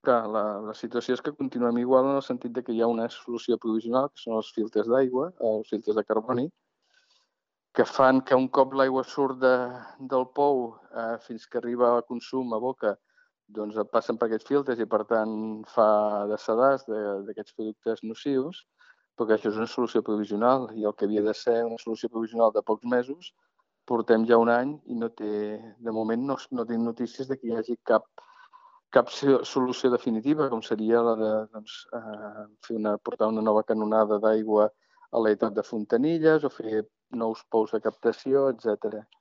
Clar, la situació és que continuem igual en el sentit de que hi ha una solució provisional, que són els filtres d'aigua, els filtres de carboni, que fan que un cop l'aigua surt del pou fins que arriba a consum a boca, doncs passen per aquests filtres i, per tant, fa de sedàs d'aquests productes nocius, però que això és una solució provisional i el que havia de ser una solució provisional de pocs mesos, portem ja un any i de moment no tinc notícies de que hi hagi cap solució definitiva, com seria la de portar una nova canonada d'aigua a l'edat de Fontanilles o fer nous pous de captació, etc.